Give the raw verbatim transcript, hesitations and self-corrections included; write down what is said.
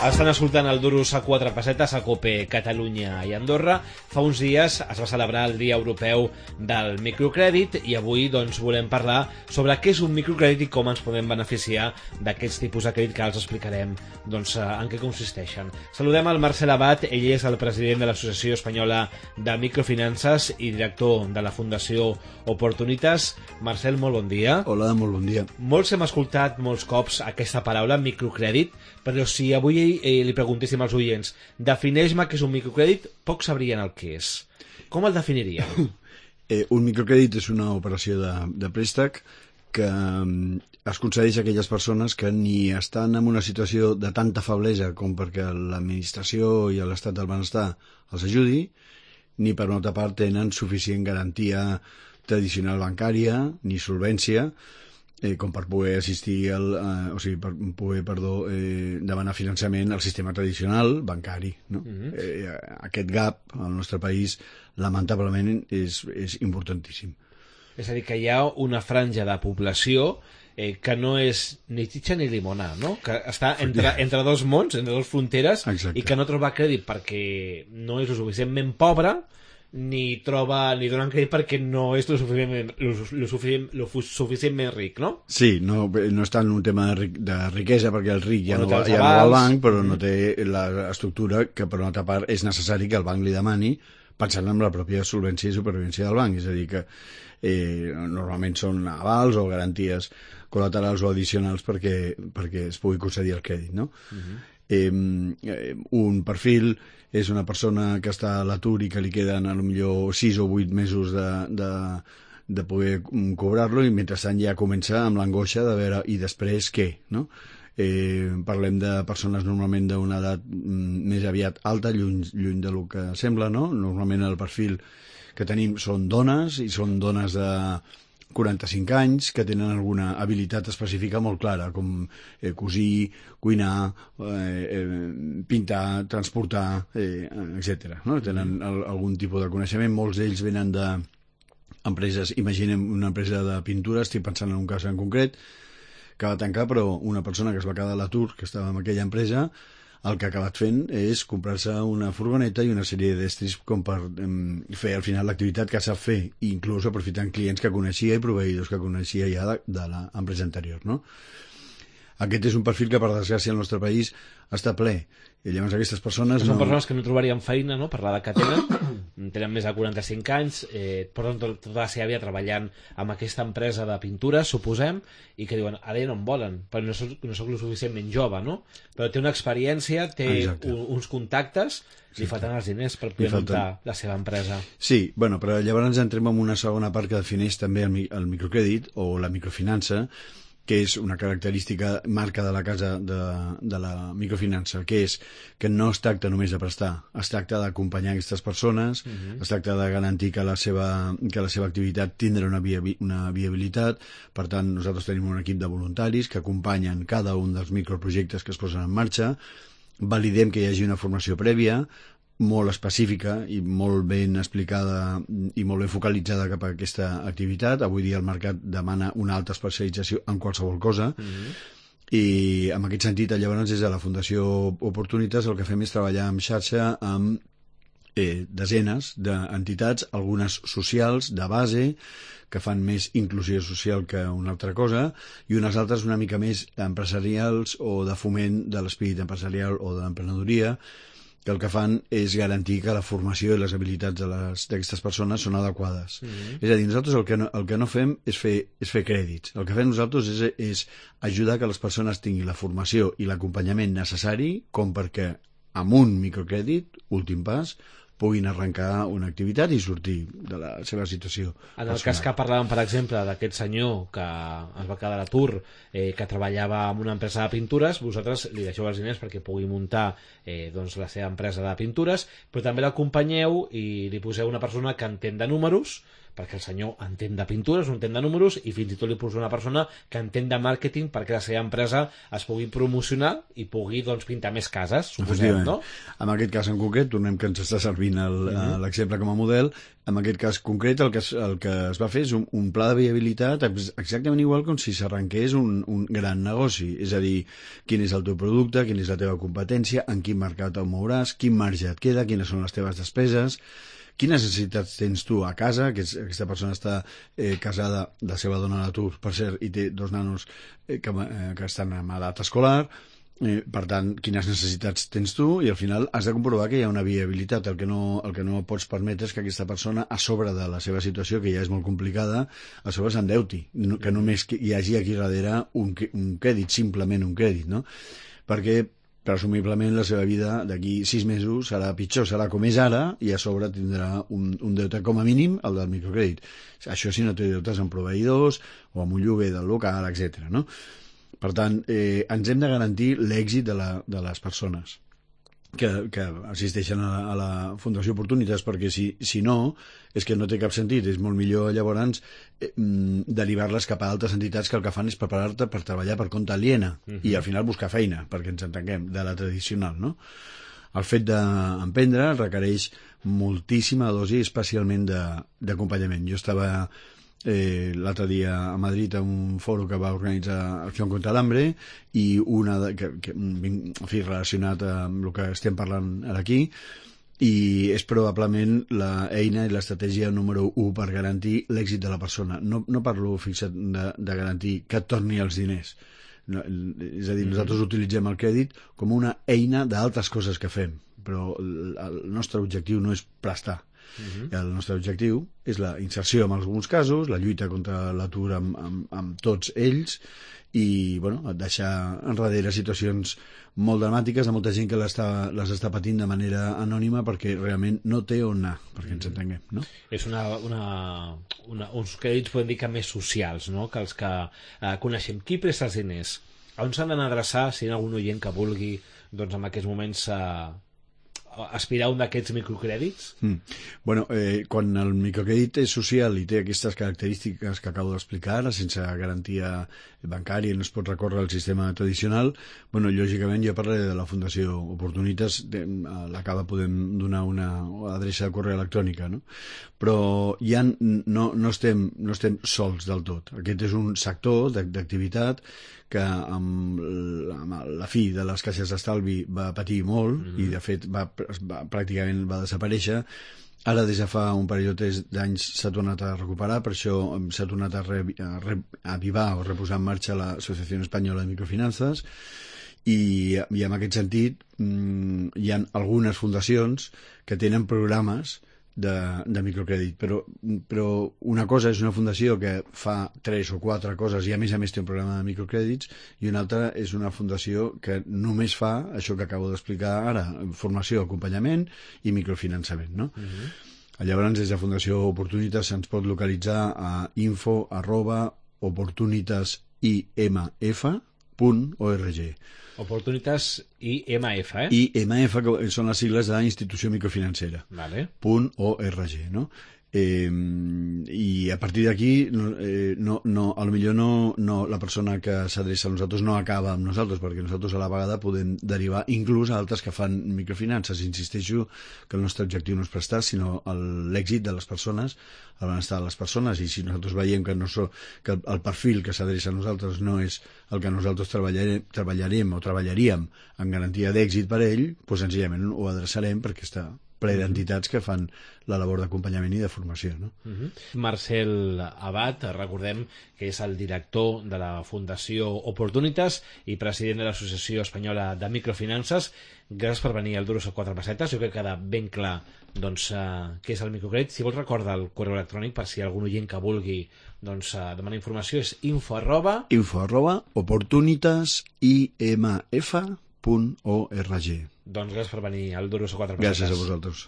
Estan escoltant el Duros a quatre pessetes a COPE Catalunya i Andorra. Fa uns dies es va celebrar el Dia Europeu del Microcrèdit i avui doncs, volem parlar sobre què és un microcrèdit i com ens podem beneficiar d'aquests tipus de crèdit que els explicarem doncs, en què consisteixen. Saludem al Marcel Abad, ell és el president de l'Associació Espanyola de Microfinances i director de la Fundació Oportunitas. Marcel, molt bon dia. Hola, molt bon dia. Molts hem escoltat molts cops aquesta paraula, microcrèdit, però si avui eh, li preguntéssim als oients, defineix-me què és un microcrèdit, pocs sabrien el que és. Com el definirien? Eh, un microcrèdit és una operació de, de préstec que um, es concedeix a aquelles persones que ni estan en una situació de tanta feblesa com perquè l'administració i l'estat del benestar els ajudi, ni per una altra part tenen suficient garantia tradicional bancària ni solvència eh, com per poder assistir al, eh, o sigui, per poder, perdó, eh, demanar finançament al sistema tradicional bancari, no? Mm-hmm. eh, aquest gap al nostre país lamentablement és, és importantíssim. És a dir, que hi ha una franja de població eh, que no és ni xitxa ni llimona, no? Que està entre, entre dos mons, entre dos fronteres. Exacte. I que no troba crèdit perquè no és lo suficientment pobre, ni troba ni donen crèdit perquè no és lo suficientment, lo, lo suficient, lo suficientment ric, no? Sí, no, no està en un tema de, ric, de riquesa perquè el ric ja, no, no, va, ja no va al banc, però mm. no té l'estructura que per una altra part és necessari que el banc li demani pensant en la pròpia solvència i supervivència del banc, és a dir que eh, normalment són avals o garanties col·laterals o addicionals perquè, perquè es pugui concedir el crèdit, no? Mm-hmm. eh, un perfil és una persona que està a l'atur i que li queden a lo millor sis o vuit mesos de, de, de poder cobrar-lo i mentrestant ja comença amb l'angoixa de veure i després què, no? Eh, parlem de persones normalment d'una edat més aviat alta, lluny, lluny del que sembla, no? Normalment el perfil que tenim són dones i són dones de quaranta-cinc anys que tenen alguna habilitat específica molt clara, com eh, cosir, cuinar, eh, eh, pintar, transportar, eh, etcètera. No? Tenen el, algun tipus de coneixement. Molts d'ells venen d'empreses, imaginem una empresa de pintura, estic pensant en un cas en concret, que va tancar, però una persona que es va quedar a l'atur, que estava en aquella empresa, el que ha acabat fent és comprar-se una furgoneta i una sèrie d'estris com per um, fer al final l'activitat que sap fer, inclús aprofitant clients que coneixia i proveïdors que coneixia ja de, de l'empresa anterior, no? Aquest és un perfil que, per desgràcia, al nostre país està ple. I llavors aquestes persones... Són no... persones que no trobarien feina, no?, per l'edat que tenen, tenen més de quaranta-cinc anys, eh, porten tot, tota la seva vida treballant amb aquesta empresa de pintura, suposem, i que diuen, ara ja no em volen, però no soc, no soc lo suficientment jove, no? Però té una experiència, té un, uns contactes, li sí. falten els diners per poder muntar la seva empresa. Sí, bueno, però llavors entrem en una segona part que defineix també el, el microcrèdit o la microfinança, que és una característica marca de la casa de, de la microfinança, que és que no es tracta només de prestar, es tracta d'acompanyar aquestes persones, uh-huh. es tracta de garantir que la seva, que la seva activitat tindrà una, via, una viabilitat. Per tant, nosaltres tenim un equip de voluntaris que acompanyen cada un dels microprojectes que es posen en marxa, validem que hi hagi una formació prèvia, molt específica i molt ben explicada i molt ben focalitzada cap a aquesta activitat. Avui dia el mercat demana una alta especialització en qualsevol cosa. Mm-hmm. I en aquest sentit, llavors, des de la Fundació Oportunitas el que fem és treballar en xarxa amb eh, desenes d'entitats, algunes socials de base, que fan més inclusió social que una altra cosa, i unes altres una mica més empresarials o de foment de l'espírit empresarial o de l'emprenedoria, que el que fan és garantir que la formació i les habilitats d'aquestes persones són adequades. Mm-hmm. És a dir, nosaltres el que no, el que no fem és fer, és fer crèdits. El que fem nosaltres és, és ajudar que les persones tinguin la formació i l'acompanyament necessari com perquè amb un microcrèdit, últim pas, puguin arrencar una activitat i sortir de la seva situació En el personal. cas que parlàvem, per exemple, d'aquest senyor que es va quedar a l'atur, eh, que treballava en una empresa de pintures, vosaltres li deixeu els diners perquè pugui muntar eh, doncs, la seva empresa de pintures, però també l'acompanyeu i li poseu una persona que entén de números perquè el senyor entén de pintures, no entén de números, i fins i tot li posa una persona que entén de màrqueting perquè la seva empresa es pugui promocionar i pugui doncs, pintar més cases, suposem, no? En aquest cas en concret, tornem que ens està servint l'exemple com a model, en aquest cas concret el que es, el que es va fer és un, un pla de viabilitat exactament igual com si s'arrenqués un, un gran negoci, és a dir, quin és el teu producte, quina és la teva competència, en quin mercat el mouràs, quin marge et queda, quines són les teves despeses, quines necessitats tens tu a casa, que és, aquesta persona està eh, casada, la seva dona a l'atur, per cert, i té dos nanos eh, que, eh, que estan en edat escolar. Eh, per tant, quines necessitats tens tu, i al final has de comprovar que hi ha una viabilitat. El que no, el que no pots permetre és que aquesta persona, a sobre de la seva situació, que ja és molt complicada, a sobre s'endeuti, no, que només hi hagi aquí darrere un, un crèdit, simplement un crèdit, no? Perquè presumiblement la seva vida d'aquí sis mesos serà pitjor, serà com és ara, i a sobre tindrà un, un deute com a mínim, el del microcrèdit. Això si no té deutes amb proveïdors o amb un lloguer del local, etcètera, no? Per tant, eh, ens hem de garantir l'èxit de, la, de les persones que, que assisteixen a la, a la Fundació Oportunitats, perquè si, si no, és que no té cap sentit. És molt millor llavors eh, derivar-les cap a altres entitats que el que fan és preparar-te per treballar per compte aliena uh-huh. i al final buscar feina, perquè ens entenguem, de la tradicional, no? El fet d'emprendre requereix moltíssima dosi, especialment d'acompanyament. Jo estava Eh, l'altre dia a Madrid a un foro que va organitzar Acció contra l'Hambre, i una de, que, que, en fi, relacionat amb el que estem parlant ara aquí, i és probablement l'eina i l'estratègia número u per garantir l'èxit de la persona. No, no parlo, fixa't, de, de garantir que et torni els diners. No, és a dir, nosaltres utilitzem el crèdit com una eina d'altres coses que fem, però el, el nostre objectiu no és prestar. Uh-huh. El nostre objectiu és la inserció en alguns casos, la lluita contra l'atur amb, amb, amb tots ells, i bueno, deixar enrere situacions molt dramàtiques de molta gent que les està, les està patint de manera anònima perquè realment no té on anar, perquè ens entenguem, no? És una, una, una, uns crèdits, podem dir que més socials, no?, que els que eh, coneixem. Qui presta els diners? On s'han d'anar a adreçar si hi ha algun oient que vulgui, doncs, en aquests moments eh, aspirar a un d'aquests microcrèdits? Mm. Bueno, eh, quan el microcrèdit és social i té aquestes característiques que acabo d'explicar, sense garantia bancària i no es pot recórrer al sistema tradicional, bueno, lògicament jo parlaré de la Fundació Oportunitats, a la qual podem donar una adreça de correu electrònica, no? Però ja no, no, estem, no estem sols del tot. Aquest és un sector d'activitat que amb la, amb la fi de les caixes d'estalvi va patir molt mm-hmm. i de fet va, va, pràcticament va desaparèixer. Ara des de fa un parell o tres d'anys s'ha tornat a recuperar, per això s'ha tornat a, re, a, re, a avivar o reposar en marxa l'Associació Espanyola de Microfinances, i, i en aquest sentit mmm, hi ha algunes fundacions que tenen programes de, de microcrèdit, però, però una cosa és una fundació que fa tres o quatre coses i a més a més té un programa de microcrèdits, i una altra és una fundació que només fa això que acabo d'explicar ara, formació, acompanyament i microfinançament, no? Uh-huh. Llavors, des de Fundació Oportunitats se'ns pot localitzar a info arroba oportunitasIMF punt org. Oportunitas I M F, eh? I M F, que són les sigles de Institució Microfinancera. Vale. Punt .org, no? Eh, i a partir d'aquí no, eh, no, no, a lo millor no, no, la persona que s'adreça a nosaltres no acaba amb nosaltres, perquè nosaltres a la vegada podem derivar inclús a altres que fan microfinances. Insisteixo que el nostre objectiu no és prestar, sinó l'èxit de les persones, el benestar de les persones, i si nosaltres veiem que, no so, que el perfil que s'adreça a nosaltres no és el que nosaltres treballarem, treballarem o treballaríem en garantia d'èxit per ell, doncs senzillament ho adreçarem perquè està ple d'entitats que fan la labor d'acompanyament i de formació, no? Uh-huh. Marcel Abad, recordem que és el director de la Fundació Oportunitas i president de l'Associació Espanyola de Microfinances. Gràcies per venir al Duros a quatre pessetes. Jo crec que queda ben clar doncs, uh, què és el microcrèdit. Si vols recordar el correu electrònic per si hi ha algun oient que vulgui doncs, uh, demanar informació, és info arroba info arroba oportunitasIMF punt org. Doncs gràcies per venir al Duros a quatre pessetes. Gràcies a vosaltres.